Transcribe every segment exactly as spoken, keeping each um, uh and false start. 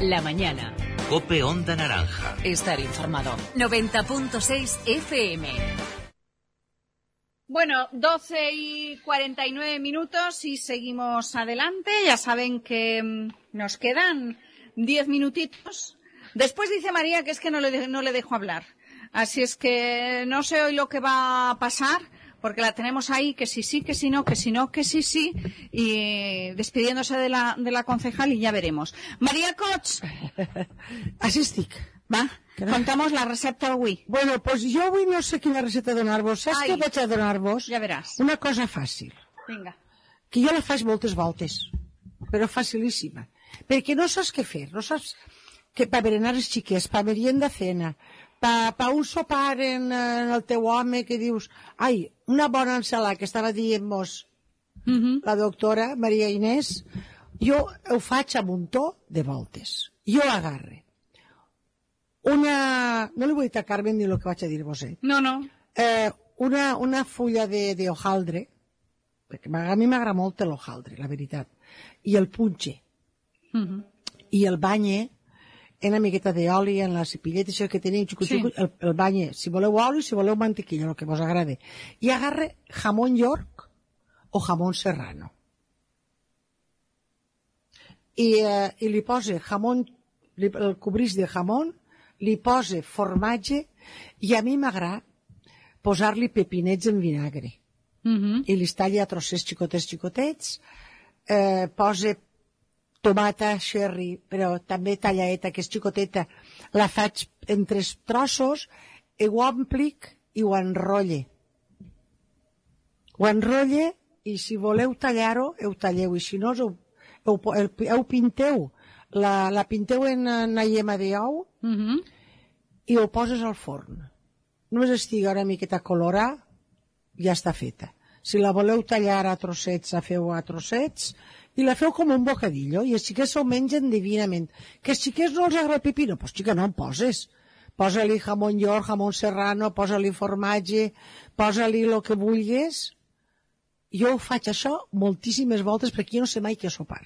La mañana. COPE Onda Naranja. Estar informado. noventa punto seis F M. Bueno, doce y cuarenta y nueve minutos y seguimos adelante. Ya saben que nos quedan diez minutitos. Después dice María que es que no le, de, no le dejo hablar. Así es que no sé hoy lo que va a pasar, porque la tenemos ahí, que sí, sí, que sí, no, que sí, no, que sí, sí, y despidiéndose de la, de la concejal y ya veremos. María Cots. Així estic. Va, contamos la recepta avui. Bueno, pues jo avui no sé quina recepta donar-vos. Saps Ai. què vaig a donar-vos? Ja veràs. Una cosa fàcil. Vinga. Que jo la faig moltes voltes, però facilíssima. Perquè no saps què fer, no saps que per berenar els xiquets, per merienda cena, per, per un sopar en, en el teu home que dius, ai, una bona ensalada que estava dient-nos Mm-hmm. la doctora Maria Inés, jo ho faig a muntó de voltes. Jo agarre una... No li vull dir a Carmen ni el que vaig a dir-vos, eh? No, no. Eh, una, una fulla de, de hojaldre, perquè a mi m'agrada molt l'hojaldre, la veritat, i el punxe, Mm-hmm. i el banye en una miqueta d'oli, en la cepilleta, això que tenim, xucu, Sí. xucu, el, el banye, si voleu oli, si voleu mantequilla, el que vos agrade. I agarre jamón York o jamón serrano. I, eh, i li posa jamón, li, el cobrís de jamón, li posa formatge, i a mi m'agrada posar-li pepinets en vinagre. Mm-hmm. I li talla a trossets xicotets xicotets, eh, posa tomata cherry, però també tallaeta, que és xicoteta, la faig en tres trossos, i ho emplic i ho enrotlle. Ho enrotlle, i si voleu tallar-ho, heu talleu, i si no, heu, heu, heu, heu pinteu, la, la pinteu en una llema d'ou, Mm-hmm. i ho poses al forn. Només estigui una miqueta colorada, ja està feta. Si la voleu tallar a trossets, la feu a trossets, i la feu com un bocadillo, i els xiquets s'ho mengen divinament. Que els xiquets no els agrada el pepino, doncs xica, no en poses. Posa-li jamón york, jamón serrano, posa-li formatge, posa-li el que vulguis. Jo ho faig això moltíssimes voltes perquè jo no sé mai què sopar.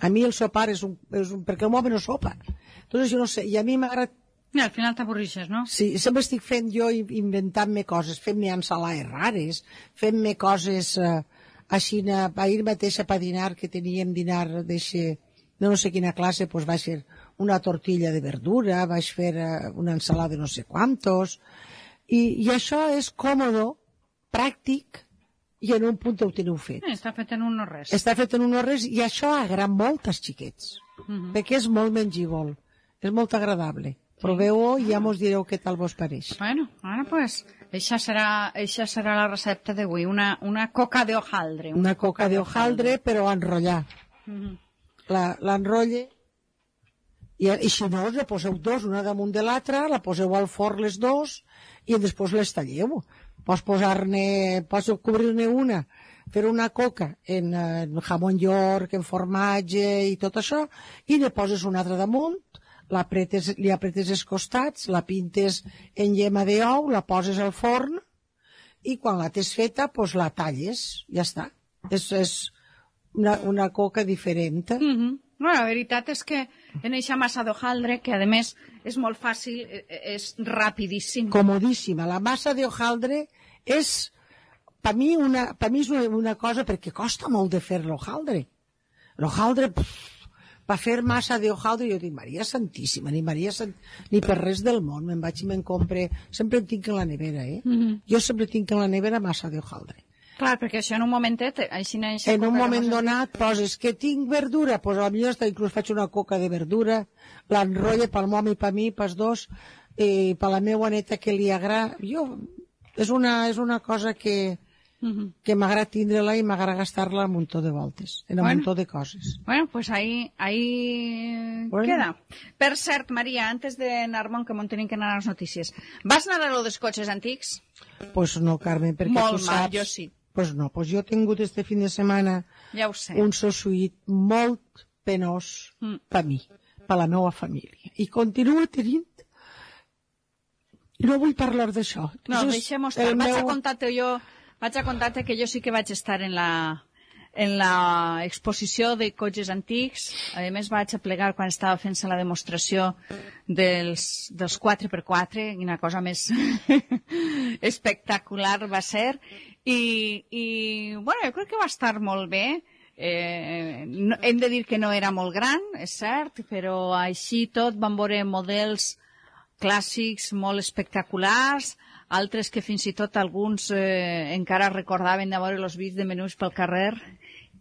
A mi el sopar és un... És un perquè el home no sopa. Entonces jo no sé, i a mi m'agrada... I al final t'avorrixes, no? Sí, sempre estic fent jo, inventant-me coses, fent-me ensalades rares, fent-me coses eh, així, ahir mateixa per dinar, que teníem dinar d'eixe, de no sé quina classe, doncs vaig fer una tortilla de verdura, vaig fer eh, una ensalada de no sé quantos, i, i això és còmodo, pràctic, i en un punt ho teniu fet. Eh, està fet en un no res. Està fet en un no res, i això agrada molt als xiquets, Mm-hmm. perquè és molt mengívol, és molt agradable. Proveu-ho i ja mos direu què tal vos pareix. Bueno, ara pues, eixa serà, eixa serà la recepta d'avui, una, una coca de hojaldre. Una coca de hojaldre, però enrotllar. Mm-hmm. La, l'enrotlle, i, i si no, la poseu dos, una damunt de l'altra, la poseu al forn les dos, i després les talleu. Pots posar-ne, pots cobrir-ne una, fer una coca en, en jamón york, en formatge i tot això, i ne poses una altra damunt, la apretes, li apretes els costats, la pintes en llema d'ou, la poses al forn, i quan la tens feta, pues la talles, ja està. És, és una, una coca diferent. Mm-hmm. Bueno, la veritat és que en eixa massa d'hojaldre, que a més és molt fàcil, és rapidíssim. Comodíssima. La massa de hojaldre és, per mi, una, per mi és una, una cosa, perquè costa molt de fer l'hojaldre. L'hojaldre, per fer massa de hojaldre, jo dic, Maria Santíssima, ni Maria Sant... ni per res del món, me'n vaig i me'n compre, sempre en tinc en la nevera, eh? Mm-hmm. Jo sempre tinc en la nevera massa de hojaldre. Clar, perquè això en un momentet, així no... En un moment donat poses que tinc verdura, doncs a la millor hasta inclús faig una coca de verdura, l'enrotlle pel home i per mi, pels dos, i per la meva neta que li agrada. Jo, és una, és una cosa que, mm-hmm. que m'agrada tindre-la i m'agrada gastar-la un muntó de voltes, en un Bueno. muntó de coses. Bueno, pues ahí, ahí Bueno. queda. Per cert, Maria, antes d'anar-me'n, que m'on tenim que anar a les notícies, vas anar a lo dels cotxes antics? Pues no, Carmen, perquè Molt tu mal, saps... jo sí. Pues no, pues jo he tingut este fin de setmana Ja ho sé. un sossuït molt penós Mm. per mi, per la meva família. I continuo tenint... No vull parlar d'això. No, Això és deixem-ho estar. el Vaig a meu- contar-te jo, vaig a contar-te que jo sí que vaig estar en la, en la exposició de cotxes antics. A més, vaig aplegar quan estava fent-se la demostració dels, dels quatre per quatre, quina cosa més espectacular va ser. I, i, bueno, jo crec que va estar molt bé. Eh, no, hem de dir que no era molt gran, és cert, però així tot vam veure models clàssics molt espectaculars, altres que fins i tot alguns eh, encara recordaven de veure els vídeos de menús pel carrer.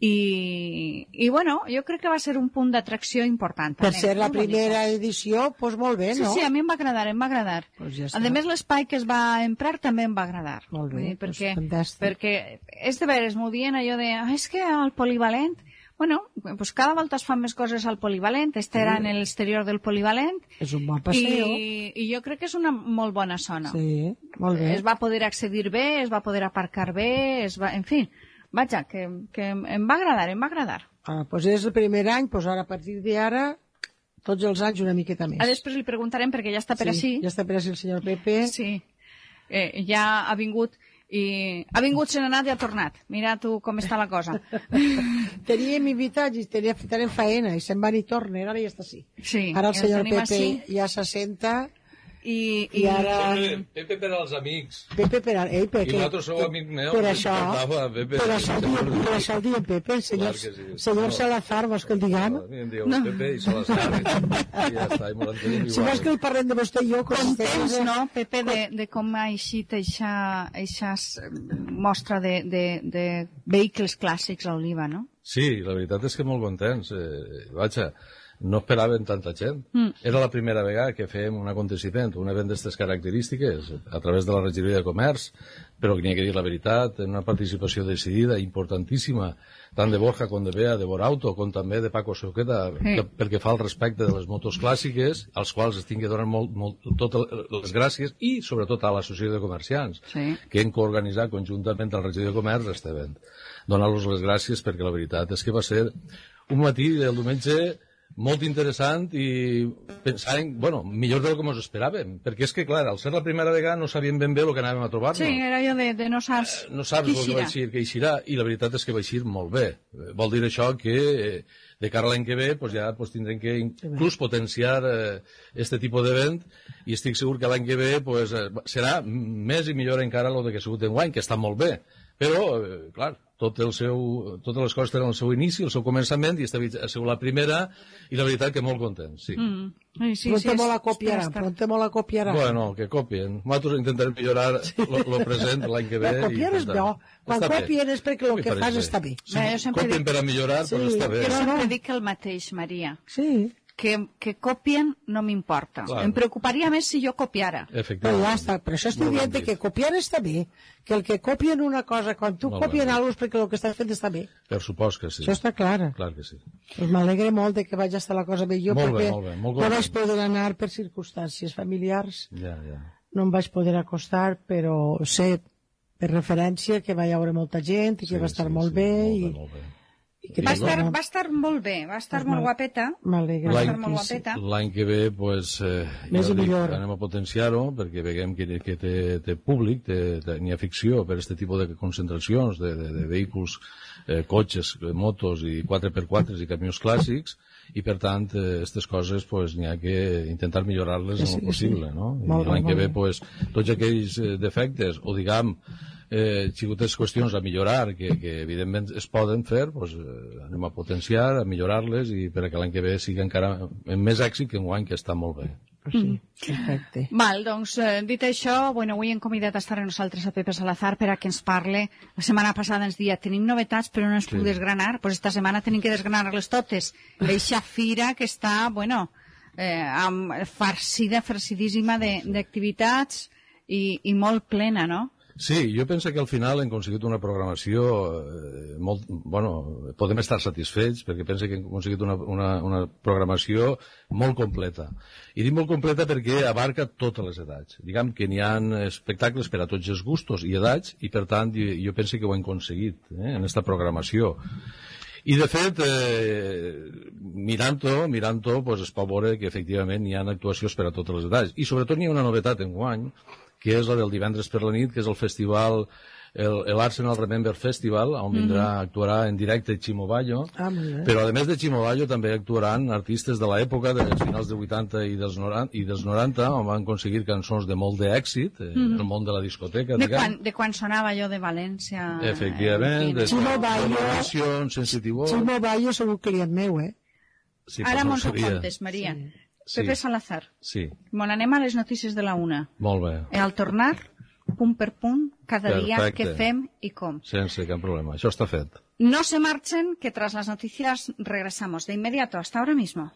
I, i bueno, jo crec que va ser un punt d'atracció important. Per ser la primera edició, doncs molt bé, no? Sí, sí, a mi em va agradar, em va agradar. Pues ja a més, l'espai que es va emprar també em va agradar. Molt bé, dir, perquè, pues fantàstic. perquè és de veres, m'ho dient allò de, ah, és que al polivalent, bueno, pues cada volta es fan més coses al polivalent, este era en l'exterior del polivalent. És un bon paseo. I, i jo crec que és una molt bona zona. Sí, molt bé. Es va poder accedir bé, es va poder aparcar bé, es va, en fi, vaja, que, que em va agradar, em va agradar. Ah, doncs és el primer any, doncs ara a partir d'ara, tots els anys una miqueta més. A després li preguntarem, perquè ja està per sí, així. Ja està per així el senyor Pepe. Sí, eh, ja ha vingut i ha vingut, se n'ha anat i ha tornat. Mira tu com està la cosa. Teníem invitats i tenia, teníem faena i se'n van i tornen, ara ja està així. Sí, ara el ja senyor el tenim Pepe així. ja s'assenta i, i ara... Pepe, Pepe per als amics. Pepe per... Ei, per I vosaltres sou amic meu. Per això, Pepe, per això, diem, per això el diem Pepe, el senyor, Clar que sí. senyor No. Salazar, vols que el diguem? A mi em dieu no. Pepe i Salazar. I ja està, i m'ho entenem igual. Si vols que el parlem de vostè i jo... contents, no, Pepe, de, de com ha eixit eixa, eixa mostra de, de, de vehicles clàssics a Oliva, no? Sí, la veritat és que molt contents. Eh, vaja, no esperaven tanta gent. Mm. Era la primera vegada que fèiem un aconteciment, un event d'aquestes característiques, a través de la regidoria de comerç, però que n'hi ha que dir la veritat, en una participació decidida, importantíssima, tant de Borja com de Bea, de Borauto, com també de Paco Soqueta, Sí. que, perquè fa el respecte de les motos clàssiques, als quals es tingui donant molt, molt, totes les gràcies, i sobretot a l'Associació de Comerciants, Sí. que hem coorganitzat conjuntament amb la regidoria de comerç este event. Donar-los les gràcies perquè la veritat és que va ser un matí del diumenge molt interessant i pensàvem, bueno, millor del que ens esperàvem, perquè és que, clar, al ser la primera vegada no sabíem ben bé el que anàvem a trobar-nos. Sí, era allò de, de no saps No saps qui el que va eixir, que eixirà, i la veritat és que va eixir molt bé. Eh, Vol dir això que eh, de cara a l'any que ve pues ja pues, tindrem que inclús potenciar eh, este tipus d'event, i estic segur que l'any que ve pues, eh, serà més i millor encara el que ha sigut enguany, que està molt bé. Però, eh, clar, tot el seu, totes les coses tenen el seu inici, el seu començament, i esta ha sigut la primera, i la veritat que molt content, sí. Mm. Sí, sí, Pronte sí, molt la és- copiarà, està- pronte molt la copiarà. Bueno, que copien. Nosaltres intentarem millorar el present l'any que ve. La copiar és bo. Quan copien és perquè el que fas està bé. Si Bé, jo sempre copien dic- per a millorar, Sí, doncs està bé. Jo no, sempre no. dic el mateix, Maria, Sí, que, que copien no m'importa. Clar. Em preocuparia més si jo copiara. però Efectivament. ja està. Per això estic Molt ben dient dit. que copiar està bé, que el que copien una cosa, quan tu Molt copien ben dit. alguna cosa és perquè el que estàs fent està bé. Per supost que sí. Això està clar. Clar que sí. Pues m'alegra molt de que vaig estar la cosa bé jo, Molt bé, perquè molt bé, molt no content. vaig poder anar per circumstàncies familiars, Ja, ja. no em vaig poder acostar, però sé per referència que va hi haure molta gent i que Sí, va estar sí, molt sí, bé, molt i, bé, molt bé. i que Va Sí, estar, no? va estar molt bé, va estar Pues molt mal- guapeta. m'alegra. L'any- molt guapeta. L'any que ve, pues, eh, Més ja i dic, millor. anem a potenciar-ho, perquè veiem que, que té, té públic, té, té, n'hi ha ficció per aquest tipus de concentracions de, de, de vehicles, eh, cotxes, motos i quatre per quatre i camions clàssics, i per tant, aquestes eh, coses pues, n'hi ha que intentar millorar-les Sí, en sí, el possible, sí. no? I Molt bé, l'any que molt ve, bé. pues, tots aquells eh, defectes, o diguem, eh, xicotets qüestions a millorar, que, que evidentment es poden fer, pues, eh, anem a potenciar, a millorar-les, i per a que l'any que ve sigui encara amb més èxit que enguany, que està molt bé. Sí, perfecte. Val, doncs, eh, dit això, bueno, avui hem convidat a estar amb nosaltres a Pepe Salazar per a que ens parle. La setmana passada ens dia, tenim novetats, però no ens Sí. puc desgranar. Pues esta setmana tenim que desgranar-les totes. Eixa fira que està, bueno, eh, amb, farcida, farcidíssima de- d'activitats i, i molt plena, no? Sí, jo penso que al final hem aconseguit una programació eh, molt... Bueno, podem estar satisfets perquè penso que hem aconseguit una, una, una programació molt completa. I dic molt completa perquè abarca totes les edats. Diguem que n'hi ha espectacles per a tots els gustos i edats, i per tant jo, jo penso que ho hem aconseguit eh, en aquesta programació. I de fet, eh, mirant-ho, mirant-ho, pues, es pot veure que efectivament hi ha actuacions per a totes les edats. I sobretot n'hi ha una novetat enguany, que és la del divendres per la nit, que és el festival l'Arsenal Remember Festival, on vindrà, mm-hmm. actuarà en directe Chimo Bayo, Ah, molt bé. però a més de Chimo Bayo també actuaran artistes de l'època, dels finals dels vuitanta i dels noranta, i dels noranta, on van aconseguir cançons de molt d'èxit, eh, mm-hmm. el món de la discoteca. De quan, de quan sonava jo de València. Efectivament, de Chimo Bayo, Sensitivo. Chimo Bayo és un client meu, eh? Sí, Ara no mos ho sabia. contes, Maria. Sí. Pepe Salazar. Sí, Bon, anem a les notícies de la una. molt bé. I al tornar, punt per punt, cada dia Perfecte. què fem i com. Sense cap problema. Això està fet. No se marchen, que tras las noticias regresamos de inmediato. Hasta ahora mismo.